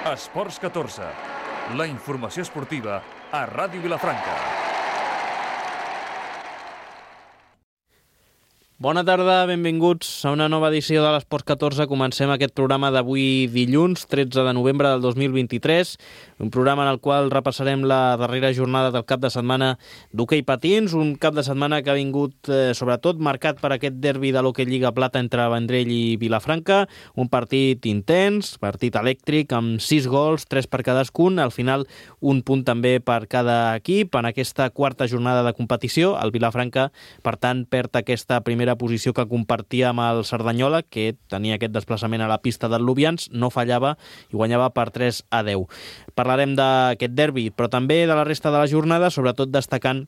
Esports 14, la informació esportiva a Ràdio Vilafranca. Bona tarda, benvinguts a una nova edició de l'Esports 14. Comencem aquest programa d'avui dilluns, 13 de novembre del 2023, un programa en el qual repassarem la darrera jornada del cap de setmana d'hoquei patins, un cap de setmana que ha vingut sobretot marcat per aquest derbi de l'Hoquei Lliga Plata entre Vendrell i Vilafranca, un partit intens, partit elèctric, amb 6 gols, 3 per cadascun, al final un punt també per cada equip. En aquesta quarta jornada de competició, el Vilafranca, per tant, perd aquesta primera posició que compartia amb el Cerdanyola, que tenia aquest desplaçament a la pista del Lubians, no fallava i guanyava per 3-10. Parlarem d'aquest derbi, però també de la resta de la jornada, sobretot destacant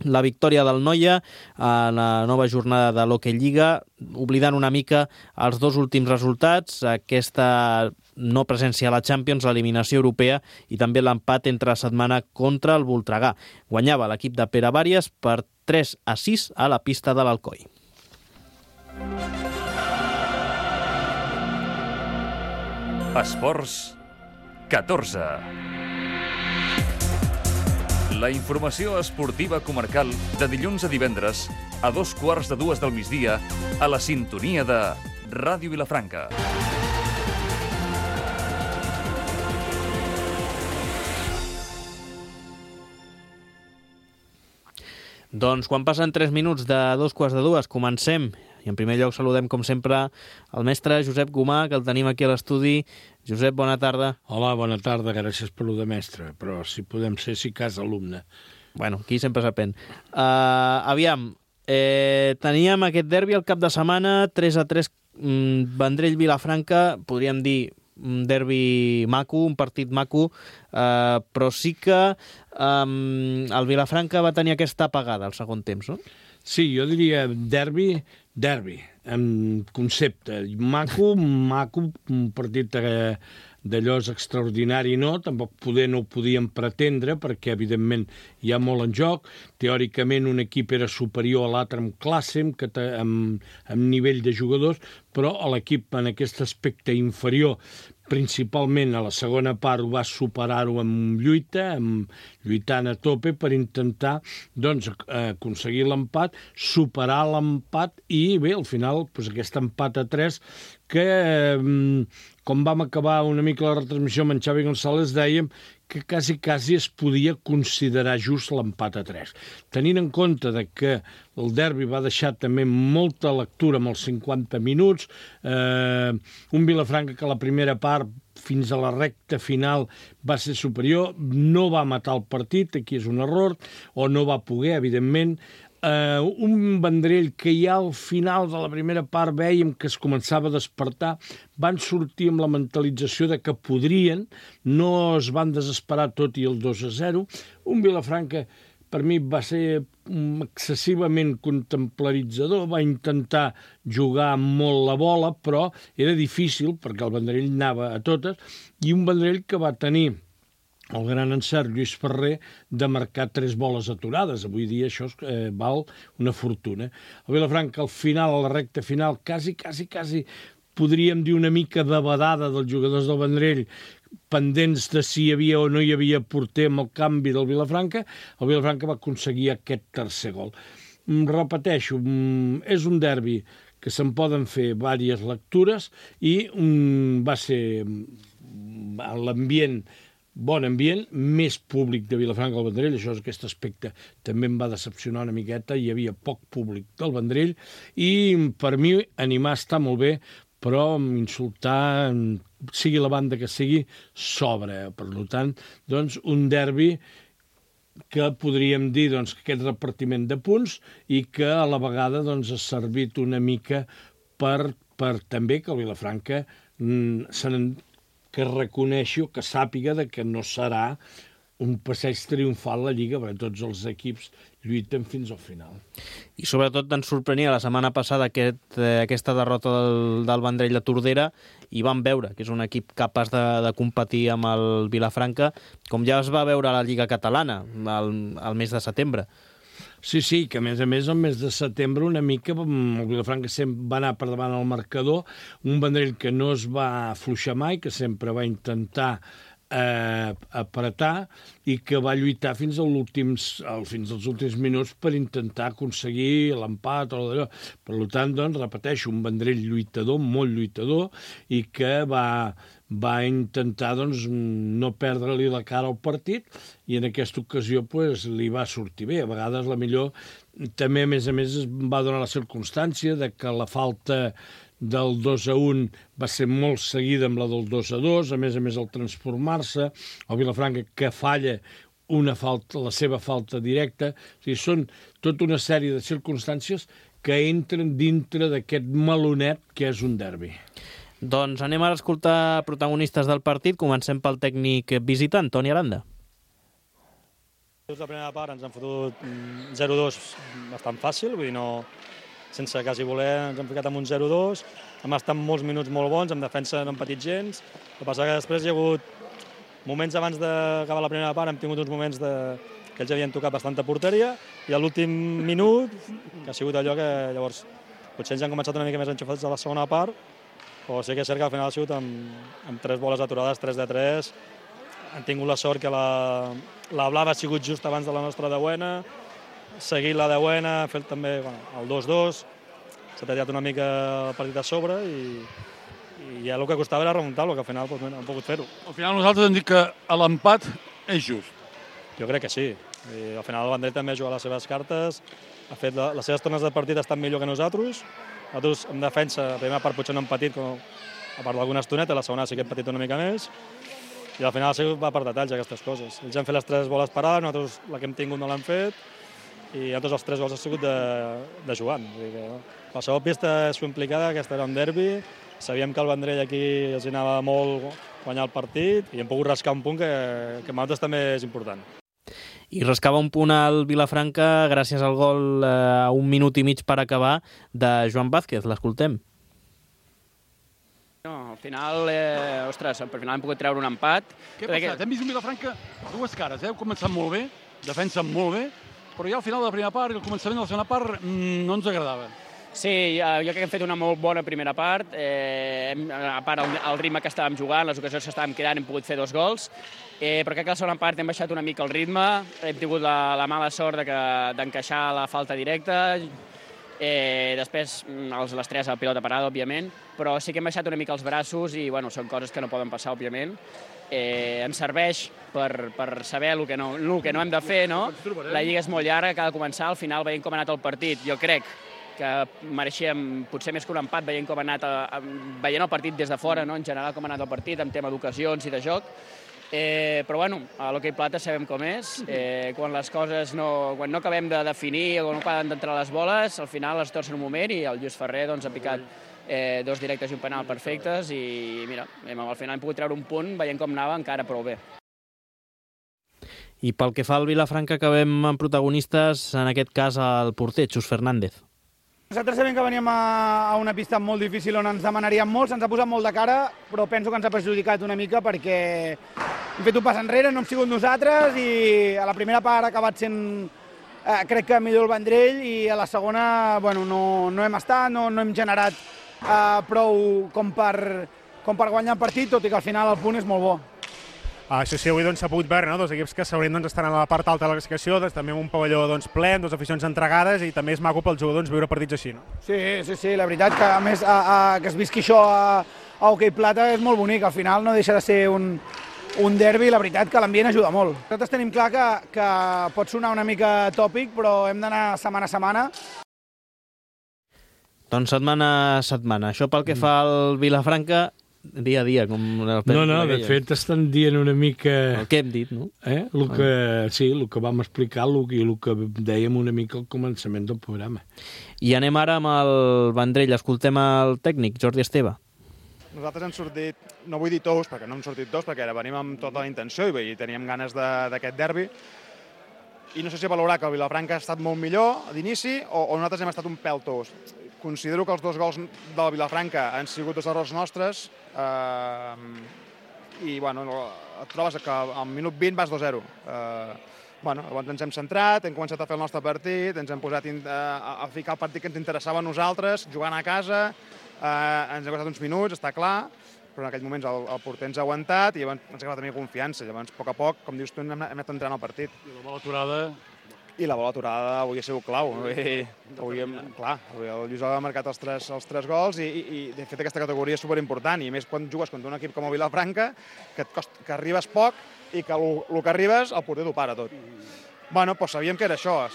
la victòria del Noia a la nova jornada de l'Hoquei Lliga, oblidant una mica els dos últims resultats, aquesta no presència a la Champions, l'eliminació europea i també l'empat entre setmana contra el Voltregà. Guanyava l'equip de Pere Bàries per 3-6 a la pista de l'Alcoi. Esports 14. La informació esportiva comarcal de dilluns a divendres a 2:15 del migdia a la sintonia de Ràdio Vilafranca. Doncs quan passen 3 minuts de 2:15, comencem. I en primer lloc saludem, com sempre, el mestre Josep Gomà, que el tenim aquí a l'estudi. Josep, bona tarda. Hola, bona tarda, gràcies per lo de mestre, però si podem ser, si cas, alumne. Bueno, aquí sempre s'aprèn. Aviam, teníem aquest derbi al cap de setmana, 3-3, Vendrell-Vilafranca, podríem dir un derbi maco, un partit maco, però sí que el Vilafranca va tenir aquesta apagada al segon temps, no? Sí, jo diria derbi, en concepte. Maco, un partit d'allò és extraordinari, no? Tampoc no ho podíem pretendre, perquè, evidentment, hi ha molt en joc. Teòricament, un equip era superior a l'altre en classe, amb nivell de jugadors, però l'equip en aquest aspecte inferior, principalment a la segona part, va superar-ho amb lluita, lluitant a tope per intentar doncs, aconseguir l'empat, superar l'empat i bé, al final, doncs, aquest empat a 3 que, com vam acabar una mica la retransmissió amb en Xavi González, dèiem que quasi es podia considerar just l'empat a 3. Tenint en compte que el derbi va deixar també molta lectura amb els 50 minuts, un Vilafranca que la primera part fins a la recta final va ser superior, no va matar el partit, aquí és un error, o no va poder, evidentment. Un Vendrell que ja al final de la primera part vèiem que es començava a despertar, van sortir amb la mentalització de que podrien, no es van desesperar tot i el 2-0. Un Vilafranca per mi va ser excessivament contemplaritzador, va intentar jugar molt la bola, però era difícil perquè el Vendrell anava a totes, i un Vendrell que va tenir el gran encert Lluís Ferrer de marcar 3 boles aturades. Avui dia això val una fortuna. El Vilafranca al final, a la recta final, quasi podríem dir una mica de badada dels jugadors del Vendrell, pendents de si hi havia o no hi havia porter amb el canvi del Vilafranca. El Vilafranca va aconseguir aquest tercer gol. Repeteixo, és un derbi que se'n poden fer diverses lectures i va ser l'ambient, bon ambient, més públic de Vilafranca al Vendrell, això és aquest aspecte també em va decepcionar una miqueta, hi havia poc públic del Vendrell i per mi animar està molt bé, però insultar, sigui la banda que sigui, sobra. Per tant, doncs, un derbi que podríem dir doncs, aquest repartiment de punts i que a la vegada doncs, ha servit una mica per també que el Vilafranca que reconeixi o que sàpiga que no serà un passeig triomfal a la Lliga, perquè tots els equips lluiten fins al final. I sobretot ens sorprenia la setmana passada aquesta derrota del Vendrell de Tordera i vam veure que és un equip capaç de competir amb el Vilafranca, com ja es va veure a la Lliga Catalana al mes de setembre. Sí, que a més, el mes de setembre una mica el Vilafranca sempre va anar per davant al marcador, un Vendrell que no es va afluixar mai, que sempre va intentar apretar i que va lluitar fins als últims minuts per intentar aconseguir l'empat o d'allò. Per tant, doncs, repeteixo, un Vendrell lluitador, molt lluitador, i que va intentar doncs, no perdre-li la cara al partit, i en aquesta ocasió pues, li va sortir bé. A vegades la millor també, a més, es va donar la circumstància de que la falta del 2-1 va ser molt seguida amb la del 2-2, a més, el transformar-se, el Vilafranca que falla la seva falta directa. O sigui, són tota una sèrie de circumstàncies que entren dintre d'aquest melonet que és un derbi. Doncs anem ara a escoltar protagonistes del partit. Comencem pel tècnic visitant, Toni Aranda. La primera part ens han fotut 0-2 bastant fàcil, vull dir, sense quasi voler ens hem ficat amb un 0-2, hem estat molts minuts molt bons, en defensa no hem patit gens, el que passa que després hi ha hagut moments abans d'acabar la primera part, hem tingut uns moments que ells havien tocat bastanta porteria, i a l'últim minut, que ha sigut allò que llavors potser ens han començat una mica més enxufats a la segona part, però sí que és cert que al final ha sigut amb 3 boles aturades, 3-3, han tingut la sort que la blava ha sigut just abans de la nostra deuena, seguir la deuena, fet també el 2-2, s'ha tallat una mica el partit a sobre i ja el que costava era remuntar-lo, que al final hem pogut fer-ho. Al final nosaltres hem dit que l'empat és just. Jo crec que sí. Al final el Vendrell també ha jugat les seves cartes, ha fet les seves tornes de partit estan millor que nosaltres. Nosaltres en defensa, la primera part potser no hem patit, a part d'alguna estoneta, la segona sí que hem patit una mica més. I al final va per detalls aquestes coses. Ells han fet les 3 boles parades, nosaltres la que hem tingut no l'hem fet, i nosaltres els 3 gols han sigut de jugant. Qualsevol pista és implicada, aquesta era un derbi, sabíem que el Vendrell aquí els anava molt guanyar el partit i hem pogut rascar un punt que per nosaltres també és important. I rascava un punt al Vilafranca gràcies al gol a 1 minut i mig per acabar de Joan Vázquez. L'escoltem. Al final, per final hem pogut treure un empat. Què ha passat? Hem vist un Vilafranca dues cares, heu començat molt bé, defensen molt bé, però ja al final de la primera part i el començament de la segona part no ens agradava. Sí, jo crec que hem fet una molt bona primera part. A part, el ritme que estàvem jugant, les ocasions que estàvem creant, hem pogut fer 2 gols. Però crec que a la segona part hem baixat una mica el ritme, hem tingut la mala sort d'encaixar la falta directa. Després, les 3 a pilota parada, òbviament, però sí que hem baixat una mica els braços i són coses que no poden passar, òbviament. Ens serveix per saber el que no hem de fer, no? La lliga és molt llarga, que ha de començar, al final veient com ha anat el partit. Jo crec que mereixíem potser més que un empat veient com ha anat veient el partit des de fora, no? En general com ha anat el partit en tema d'ocasions i de joc. Però a l'hoquei plata sabem com és, quan les coses quan no acabem de definir o no acaben d'entrar les boles, al final es torcen un moment i el Lluís Ferrer ha picat 2 directes i un penal perfectes i mira, al final hem pogut treure un punt veient com anava encara prou bé. I pel que fa al Vilafranca acabem amb protagonistes, en aquest cas el porter, Xus Fernández. Nosaltres sabem que veníem a una pista molt difícil on ens demanaríem molt, se'ns ha posat molt de cara, però penso que ens ha perjudicat una mica perquè hem fet un pas enrere, no hem sigut nosaltres i a la primera part ha acabat sent, crec que millor el Vendrell i a la segona no hem estat, no hem generat prou com per guanyar el partit, tot i que al final el punt és molt bo. Això sí, avui s'ha pogut veure, dos equips que s'haurien d'estar a la part alta de la classificació, també amb un pavelló ple, amb 2 aficions entregades i també és maco pels jugadors viure partits així, no? Sí, la veritat que a més que es visqui això a hoquei plata és molt bonic, al final no deixa de ser un derbi, la veritat que l'ambient ajuda molt. Nosaltres tenim clar que pot sonar una mica tòpic, però hem d'anar setmana a setmana. Doncs setmana a setmana. Això pel que fa al Vilafranca, dia a dia, com... No, de fet estan dient una mica... El que hem dit, no? El que vam explicar i el que dèiem una mica al començament del programa. I anem ara amb el Vendrell. Escoltem el tècnic, Jordi Esteve. Nosaltres hem sortit, no vull dir tous, perquè no hem sortit tous, perquè ara venim amb tota la intenció i teníem ganes d'aquest derbi. I no sé si valorar que el Vilafranca ha estat molt millor d'inici o nosaltres hem estat un pèl tous. Considero que els 2 gols del Vilafranca han sigut 2 errors nostres i et trobes que al minut 20 vas 2-0. Llavors ens hem centrat, hem començat a fer el nostre partit, ens hem posat a ficar el partit que ens interessava a nosaltres, jugant a casa, ens ha costat uns minuts, està clar, però en aquells moments el porter ens ha aguantat i llavors ens ha acabat tenir confiança. Llavors, a poc a poc, com dius tu, hem anat entrant al partit. I la bola aturada... I la bola aturada avui ha sigut clau. Avui el Lluís ha marcat els tres gols i de fet aquesta categoria és superimportant, i més quan jugues contra un equip com el Vilafranca, que arribes poc i que el que arribes el porter t'ho para tot. Sabíem que era això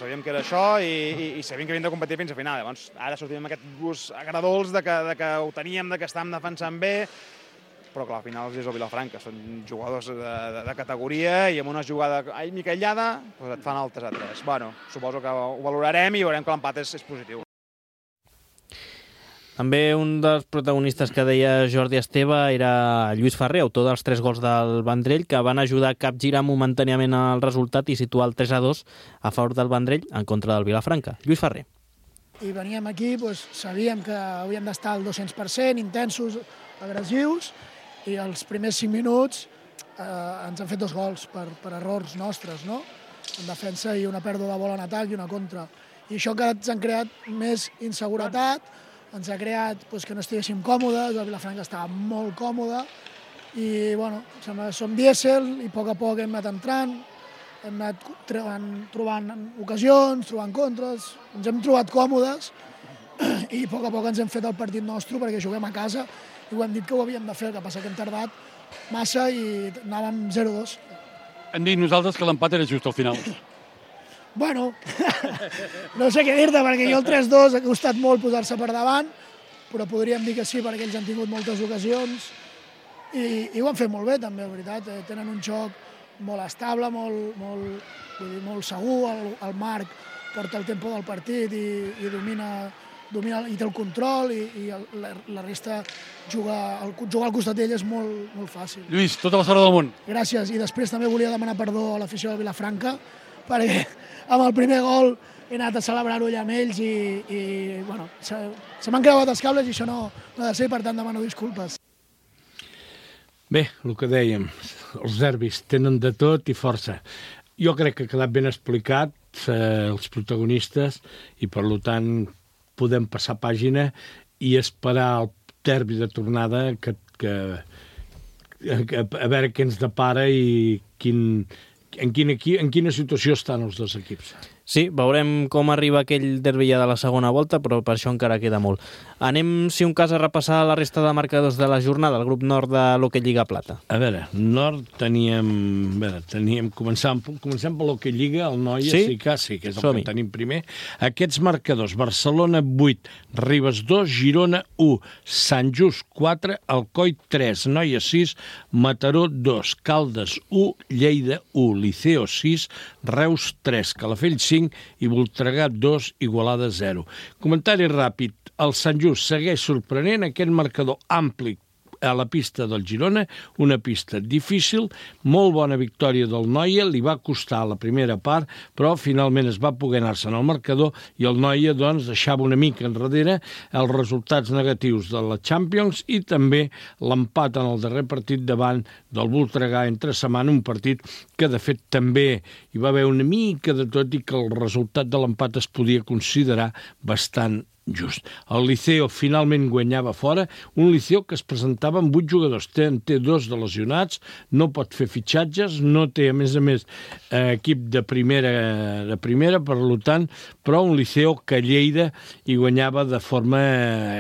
i sabíem que havíem de competir fins a final. Llavors, ara sortim amb aquest gust agradols de que ho teníem, de que estàvem defensant bé, però clar, al final és el Vilafranca, són jugadors de categoria i amb una jugada mica aïllada et fan el 3-3. Suposo que ho valorarem i veurem que l'empat és positiu. També un dels protagonistes que deia Jordi Esteve era Lluís Ferrer, autor dels 3 gols del Vendrell, que van ajudar a capgirar momentàniament el resultat i situar el 3-2 a favor del Vendrell en contra del Vilafranca. Lluís Ferrer. I veníem aquí, sabíem que havíem d'estar al 200%, intensos, agressius, i els primers 5 minuts ens han fet 2 gols per errors nostres, no? En defensa i una pèrdua de bola en atac i una contra. I això que ens han creat més inseguretat, ens ha creat que no estiguéssim còmodes, el Vilafranca estava molt còmode, i som dièsel i a poc hem anat entrant, hem anat trobant ocasions, trobant contres, ens hem trobat còmodes i a poc ens hem fet el partit nostre perquè juguem a casa i ho hem dit que ho havíem de fer, el que passa que hem tardat massa i anàvem 0-2. Hem dit nosaltres que l'empat era just al final. No sé què dir-te, perquè jo el 3-2 ha costat molt posar-se per davant, però podríem dir que sí, perquè ells han tingut moltes ocasions i ho han fet molt bé també, la veritat. Tenen un joc molt estable, molt segur, el Marc porta el tempo del partit i domina i té el control i la resta jugar al costat d'ell és molt fàcil. Lluís, tota la sort del món. Gràcies, i després també volia demanar perdó a l'afició de Vilafranca perquè amb el primer gol he anat a celebrar-ho allà amb ells i se m'han creuat els cables i això no ha de ser, per tant demano disculpes. Bé, el que dèiem, els derbis tenen de tot i força. Jo crec que ha quedat ben explicat els protagonistes i per tant podem passar pàgina i esperar el derbi de tornada a veure què ens depara i en quina situació estan els dos equips. Sí, veurem com arriba aquell derbi ja de la segona volta, però per això encara queda molt. Anem, si un cas, a repassar la resta de marcadors de la jornada, el grup nord de l'Hockey Lliga Plata. A veure, nord comencem per l'Hockey Lliga, el Noia, sí, que és el que tenim primer. Aquests marcadors: Barcelona 8, Ribes 2, Girona 1, Sant Just 4, Alcoi 3, Noia 6, Mataró 2, Caldes 1, Lleida 1, Liceo 6, Reus 3, Calafell 5 i Voltregà 2, Igualada 0. Comentari ràpid. El Sant Just segueix sorprenent, aquest marcador ampli a la pista del Girona, una pista difícil, molt bona victòria del Noia, li va costar la primera part, però finalment es va poder anar-se en el marcador i el Noia deixava una mica enrere els resultats negatius de la Champions i també l'empat en el darrer partit davant del Voltregà entre setmana, un partit que de fet també hi va haver una mica de tot i que el resultat de l'empat es podia considerar bastant just. El Liceo finalment guanyava fora, un Liceo que es presentava amb 8 jugadors, té 2 de lesionats, no pot fer fitxatges, no té a més equip de primera, per tant, però un Liceo que Lleida hi guanyava de forma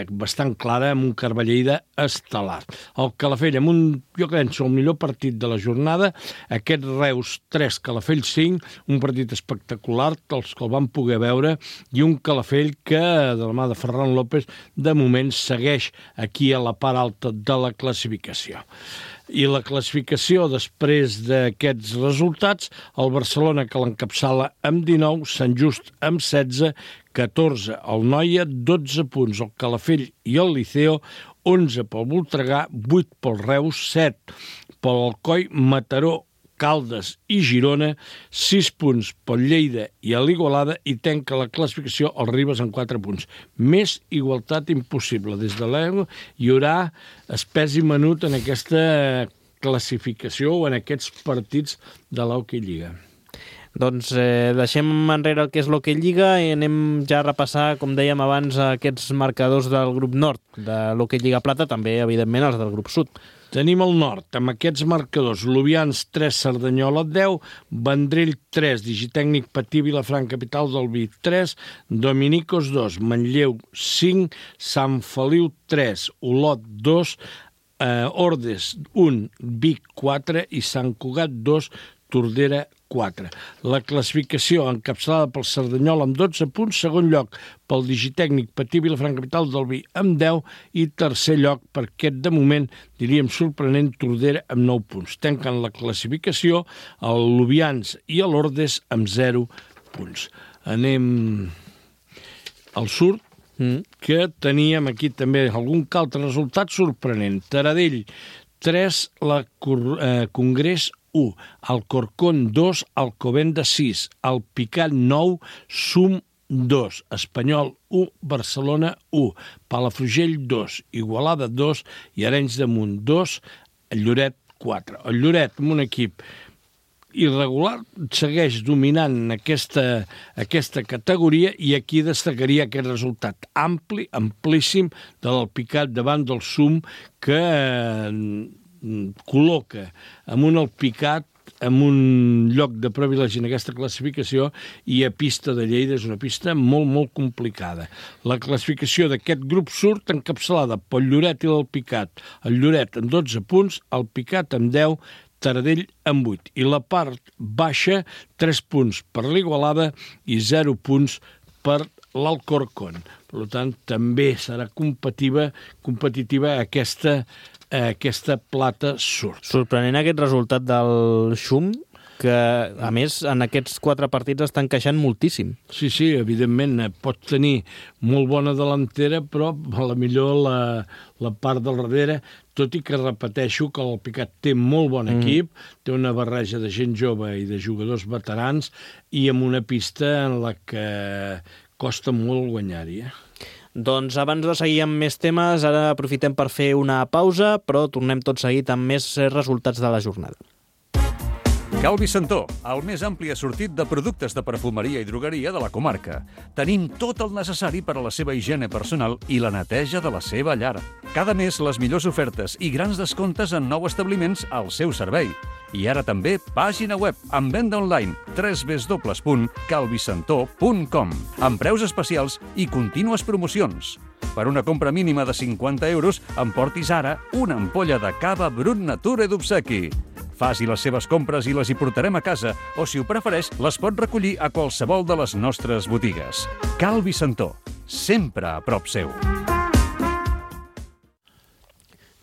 bastant clara amb un Carballeida estel·lar. El Calafell amb jo penso, el millor partit de la jornada, aquest Reus 3, Calafell 5, un partit espectacular, els que el van poder veure, i un Calafell que de la mà de Ferran López, de moment segueix aquí a la part alta de la classificació. I la classificació, després d'aquests resultats, el Barcelona, que l'encapçala amb 19, Sant Just amb 16, 14 el Noia, 12 punts el Calafell i el Liceo, 11 pel Voltregà, 8 pel Reus, 7 pel Alcoi, Mataró, Caldes i Girona, 6 punts pel Lleida i a l'Igualada i tanca la classificació el Ribes amb 4 punts. Més igualtat impossible. Des de l'EGO hi haurà espès i menut en aquesta classificació o en aquests partits de l'Hockey Lliga. Doncs deixem enrere el que és l'Hockey Lliga i anem ja a repassar, com dèiem abans, aquests marcadors del grup nord de l'Hockey Lliga Plata, també, evidentment, els del grup sud. Tenim el nord, amb aquests marcadors, Lubians 3, Cerdanyola 10, Vendrell 3, Digitècnic Patí, Vilafranca, capital del Vi 3, Dominicos 2, Manlleu 5, Sant Feliu 3, Olot 2, Ordes 1, Vic 4 i Sant Cugat 2, Tordera 4. La classificació encapçalada pel Cerdanyola amb 12 punts, segon lloc pel Digitècnic Patí, Vilafranca, capital del Vi amb 10 i tercer lloc per aquest, de moment, diríem sorprenent, Tordera amb 9 punts. Tanquen la classificació el Lubians i l'Ordes amb 0 punts. Anem al sud, que teníem aquí també algun altre resultat sorprenent. Taradell 3, la Congrés 1, Alcorcón 2, Alcobenda 6, Alpicat 9, Sum 2, Espanyol 1, Barcelona 1, Palafrugell 2, Igualada 2 i Arenys de Munt 2, Lloret 4. El Lloret, amb un equip irregular, segueix dominant aquesta categoria i aquí destacaria aquest resultat amplíssim de l'Alpicat davant del Sum, que col·loca amb un Alpicat en un lloc de privilegi en aquesta classificació i a pista de Lleida és una pista molt, molt complicada. La classificació d'aquest grup surt encapçalada pel Lloret i l'Alpicat. El Lloret amb 12 punts, Alpicat amb 10, Taradell amb 8. I la part baixa, 3 punts per l'Igualada i 0 punts per l'Alcorcón. Per tant, també serà competitiva aquesta plata surt. Sorprenent aquest resultat del Xum, que, a més, en aquests 4 partits estan queixant moltíssim. Sí, evidentment, pot tenir molt bona delantera, però a la millor la part del darrere, tot i que repeteixo que l'Alpicat té molt bon equip, té una barreja de gent jove i de jugadors veterans i amb una pista en la que costa molt guanyar-hi. Doncs abans de seguir amb més temes, ara aprofitem per fer una pausa, però tornem tot seguit amb més resultats de la jornada. Calvi Santó, el més ampli assortit de productes de perfumeria i drogueria de la comarca. Tenim tot el necessari per a la seva higiene personal i la neteja de la seva llar. Cada mes les millors ofertes i grans descomptes en nous establiments al seu servei. I ara també pàgina web amb venda online www.calvisantó.com amb preus especials i contínues promocions. Per una compra mínima de 50 euros, emportis ara una ampolla de cava Brut Nature d'obsequi. Faci les seves compres i les hi portarem a casa, o si ho prefereix, les pot recollir a qualsevol de les nostres botigues. Calvi Santó, sempre a prop seu.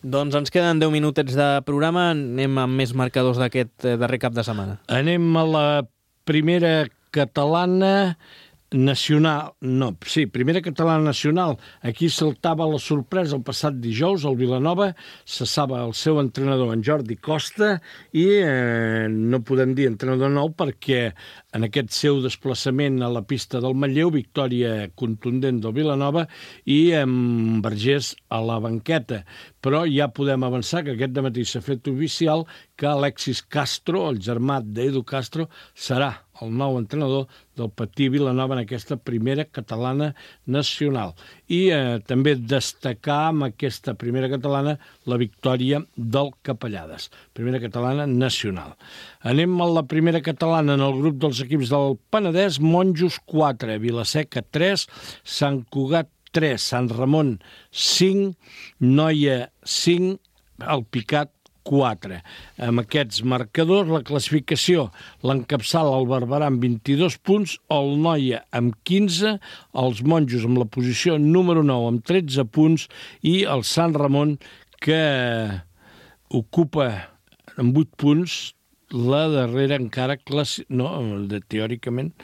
Doncs ens queden 10 minutets de programa, anem amb més marcadors d'aquest darrer cap de setmana. Anem a la primera catalana nacional, primera catalana nacional. Aquí saltava la sorpresa el passat dijous, el Vilanova cessava el seu entrenador, en Jordi Costa, i no podem dir entrenador nou perquè en aquest seu desplaçament a la pista del Manlleu, victòria contundent del Vilanova i amb Vergés a la banqueta. Però ja podem avançar que aquest dematí s'ha fet oficial que Alexis Castro, el germà d'Edu Castro, serà el nou entrenador del Patí Vilanova en aquesta primera catalana nacional. I també destacar amb aquesta primera catalana la victòria del Capellades, primera catalana nacional. Anem a la primera catalana en el grup dels equips del Penedès, Monjos 4, Vilaseca 3, Sant Cugat 3, Sant Ramon 5, Noia 5, Alpicat 4. Amb aquests marcadors, la classificació l'encapçala el Barberà amb 22 punts, el Noia amb 15, els Monjos amb la posició número 9 amb 13 punts i el Sant Ramon, que ocupa amb 8 punts la darrera encara teòricament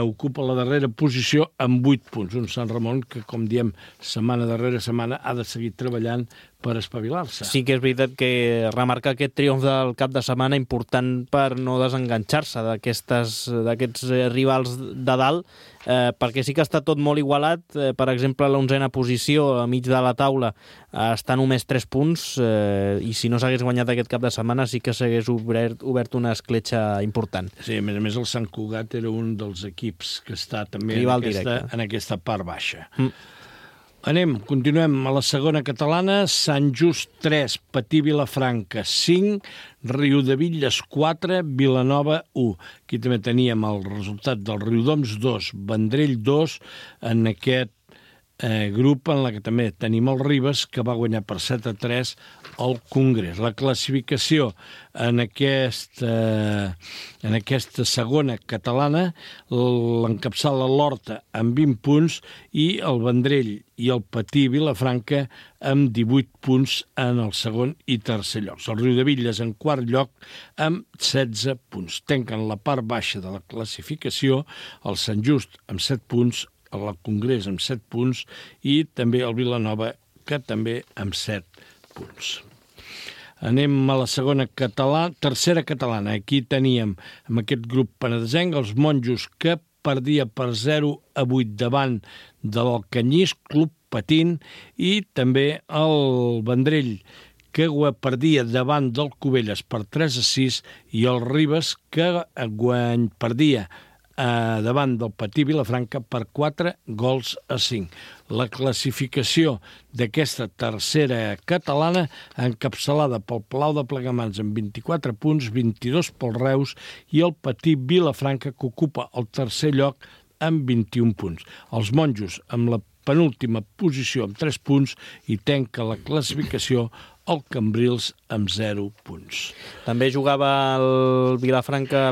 ocupa la darrera posició amb 8 punts. Un Sant Ramon que, com diem, setmana darrere setmana ha de seguir treballant per espavilar-se. Sí que és veritat que remarca aquest triomf del cap de setmana important per no desenganxar-se d'aquests rivals de dalt, perquè sí que està tot molt igualat. Per exemple, l'11a posició a mig de la taula està només 3 punts, i si no s'hagués guanyat aquest cap de setmana sí que s'hagués obert una escletxa important. Sí, a més el Sant Cugat era un dels equips que està també en aquesta part baixa. Continuem a la segona catalana. Sant Just 3, Patí Vilafranca 5, Riudebitlles 4, Vilanova 1. Aquí també teníem el resultat del Riudoms 2, Vendrell 2, en aquest grup en la que també tenim el Ribes, que va guanyar per 7-3 al Congrés. La classificació en aquesta segona catalana l'encapçala l'Horta amb 20 punts i el Vendrell i el Patí Vilafranca amb 18 punts en el segon i tercer llocs. El Riudebitlles en quart lloc amb 16 punts. Tanquen la part baixa de la classificació el Sant Just amb 7 punts, el Congrés amb 7 punts i també el Vilanova, que també amb 7 punts. Anem a la tercera catalana. Aquí teníem, amb aquest grup penedesenc, els Monjos, que perdia per 0-8 davant de l'Alcanyís, Club Patint, i també el Vendrell, que perdia davant del Cubelles per 3-6, i el Ribes, que perdia davant del Patí Vilafranca per 4-5. La classificació d'aquesta tercera catalana encapçalada pel Palau de Plegamans amb 24 punts, 22 pel Reus i el Patí Vilafranca, que ocupa el tercer lloc amb 21 punts. Els Monjos amb la penúltima posició amb 3 punts i tanca la classificació el Cambrils amb 0 punts. També jugava el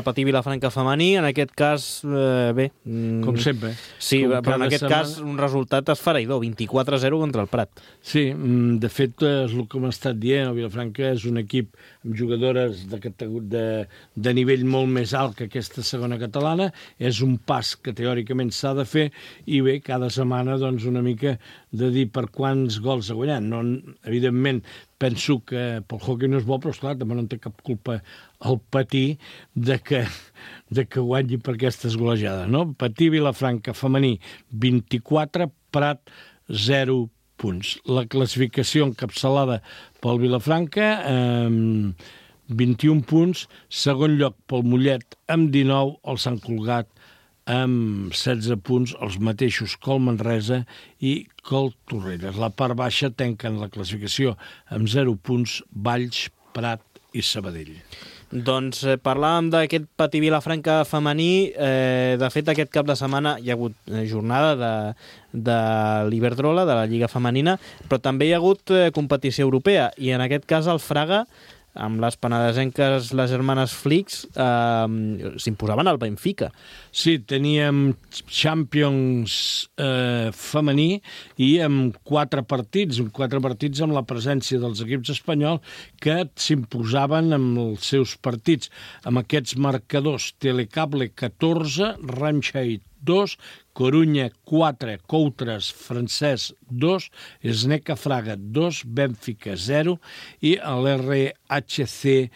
Patí Vilafranca femení, en aquest cas, bé... Com sempre. Sí, però en aquest cas un resultat esfereïdor, 24-0 contra el Prat. Sí, de fet, és el que m'ha estat dient, el Vilafranca és un equip amb jugadores de nivell molt més alt que aquesta segona catalana, és un pas que teòricament s'ha de fer, i bé, cada setmana doncs una mica de dir per quants gols ha guanyat. No, evidentment, penso que pel hockey no és bo, però esclar, també no té cap culpa el Patí de que guanyi per aquestes golejades, no? Patí Vilafranca femení 24, Prat 0 punts. La classificació encapçalada pel Vilafranca 21 punts, segon lloc pel Mollet amb 19, el Sant Cugat amb 16 punts, els mateixos que el Manresa i que el Torrelles. La part baixa tanquen la classificació amb 0 punts Valls, Prat i Sabadell. Doncs parlàvem d'aquest Patí Vilafranca femení. De fet, aquest cap de setmana hi ha hagut jornada de l'Iberdrola, de la Lliga Femenina, però també hi ha hagut competició europea, i en aquest cas el Fraga, amb les penedesenques, les germanes Flix, s'imposaven al Benfica. Sí, teníem Champions femení i amb 4 partits amb la presència dels equips espanyols que s'imposaven amb els seus partits. Amb aquests marcadors: Telecable 14, Ramsheid 2, Corunya 4, Coutres francès 2, Sneca Fraga 2, Benfica 0 i l'RHC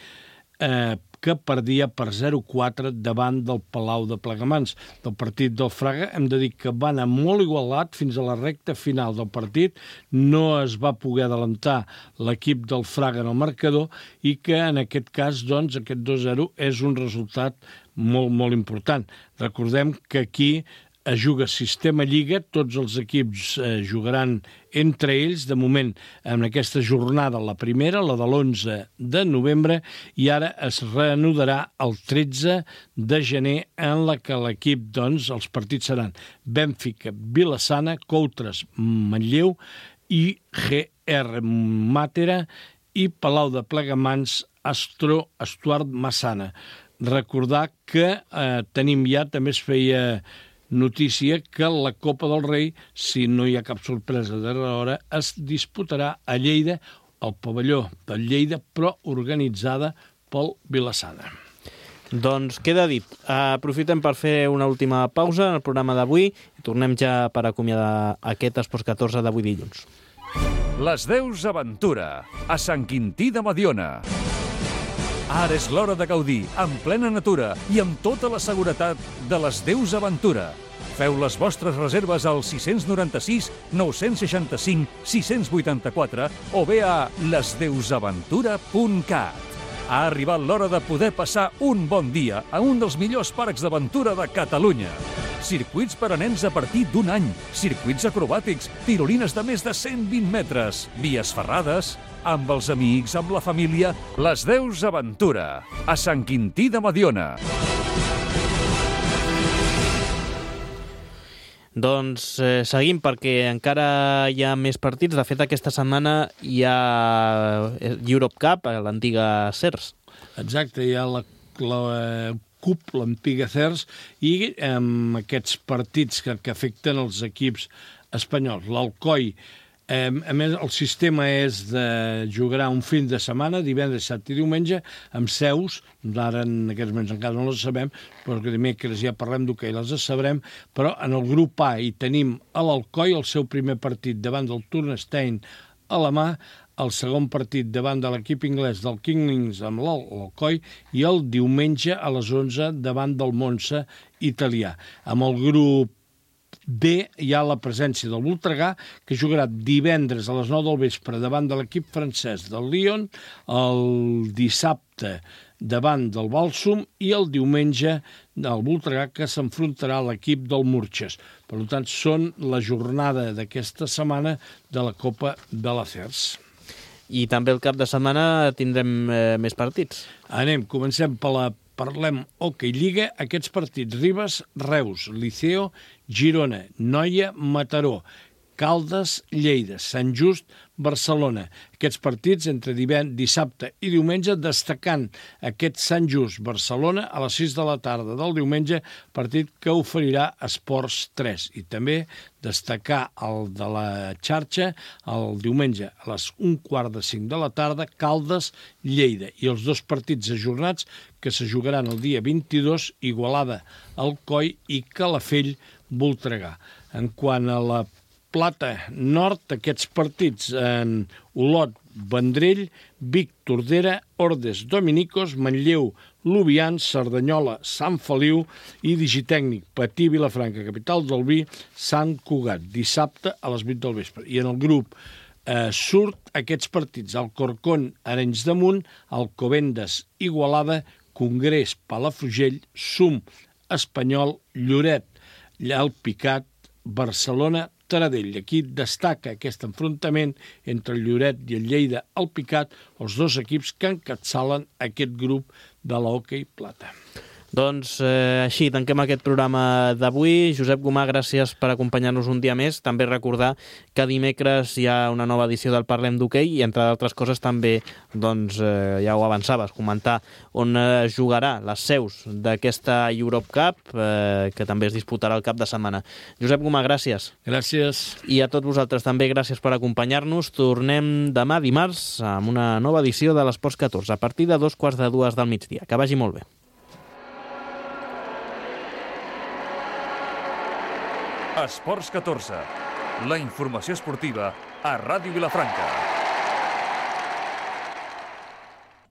que perdia per 0-4 davant del Palau de Plegamans. Del partit del Fraga hem de dir que va anar molt igualat fins a la recta final del partit. No es va poder adelantar l'equip del Fraga en el marcador i que en aquest cas, doncs, aquest 2-0 és un resultat molt, molt important. Recordem que aquí es juga sistema Lliga, tots els equips jugaran entre ells, de moment en aquesta jornada, la primera, la de l'11 de novembre, i ara es reanudarà el 13 de gener, en la que l'equip, doncs, els partits seran Benfica, Vilassana, Coutres, Manlleu i GR Màtera i Palau de Plegamans, Estuard Massana. Recordar que tenim ja, també es feia notícia que la Copa del Rei, si no hi ha cap sorpresa de l'hora, es disputarà a Lleida, al pavelló de Lleida, però organitzada pel Vilassana. Doncs queda dit. Aprofitem per fer una última pausa en el programa d'avui i tornem ja per acomiadar aquest Esports 14 d'avui dilluns. Les Deus Aventura, a Sant Quintí de Mediona. Ara és l'hora de gaudir, en plena natura i amb tota la seguretat de les Deus Aventura. Feu les vostres reserves al 696 965 684 o bé a lesdeusaventura.cat. Ha arribat l'hora de poder passar un bon dia a un dels millors parcs d'aventura de Catalunya. Circuits per a nens a partir d'un any, circuits acrobàtics, tirolines de més de 120 metres, vies ferrades, amb els amics, amb la família, les Deus Aventura, a Sant Quintí de Mediona. Doncs seguim, perquè encara hi ha més partits. De fet, aquesta setmana hi ha Europe Cup, l'antiga CERS. Exacte, hi ha la CUP, l'antiga CERS, i aquests partits que afecten els equips espanyols. L'Alcoi, a més, el sistema és de jugar un fin de setmana, divendres, dissabte i diumenge, amb seus, ara en aquests moments encara no les sabem, però que dimecres ja parlem d'hoquei, les sabrem, però en el grup A hi tenim a l'Alcoi el seu primer partit davant del Turnestein alemà, el segon partit davant de l'equip anglès del Kingslings amb l'Alcoi i el diumenge a les 11 davant del Monza italià. Amb el grup B hi ha la presència del Voltregà, que jugarà divendres a les 9 del vespre davant de l'equip francès del Lyon, el dissabte davant del Balsum i el diumenge del Voltregà, que s'enfrontarà a l'equip del Murches. Per tant, són la jornada d'aquesta setmana de la Copa de la CERS. I també el cap de setmana tindrem més partits. Comencem parlem Hockey Lliga, aquests partits: Ribes, Reus, Liceo, Girona, Noia, Mataró, Caldes, Lleida, Sant Just, Barcelona. Aquests partits entre dissabte i diumenge, destacant aquest Sant Just Barcelona a les 6 de la tarda del diumenge, partit que oferirà Esports 3. I també destacar el de la xarxa el diumenge a les 1:45 de la tarda, Caldes, Lleida. I els dos partits ajornats que se jugaran el dia 22, Igualada, Alcoi i Calafell, Voltregà. En quant a la Plata Nord, aquests partits en Olot, Vendrell, Vic, Tordera, Ordes, Dominicos, Manlleu, Lubians, Cerdanyola, Sant Feliu i Digitècnic, Patí, Vilafranca, capital del vi, Sant Cugat, dissabte a les 8 del vespre. I en el grup surt aquests partits: Alcorcón, Arenys de Munt, Alcobendas, Igualada, Congrés, Palafrugell, Sum, Espanyol, Lloret, Alpicat, Barcelona, Taradell. Aquí destaca aquest enfrontament entre el Lloret i el Lleida Alpicat, els dos equips que encapçalen aquest grup de l'Hockey Plata. Doncs així tanquem aquest programa d'avui. Josep Gomà, gràcies per acompanyar-nos un dia més. També recordar que dimecres hi ha una nova edició del Parlem d'Hoquei i, entre d'altres coses, també, doncs, ja ho avançaves, comentar on jugarà les seus d'aquesta Europe Cup, que també es disputarà el cap de setmana. Josep Gomà, gràcies. Gràcies. I a tots vosaltres també gràcies per acompanyar-nos. Tornem demà dimarts amb una nova edició de l'Esports 14 a partir de 2:45 del migdia. Que vagi molt bé. Esports 14, la informació esportiva a Ràdio Vilafranca.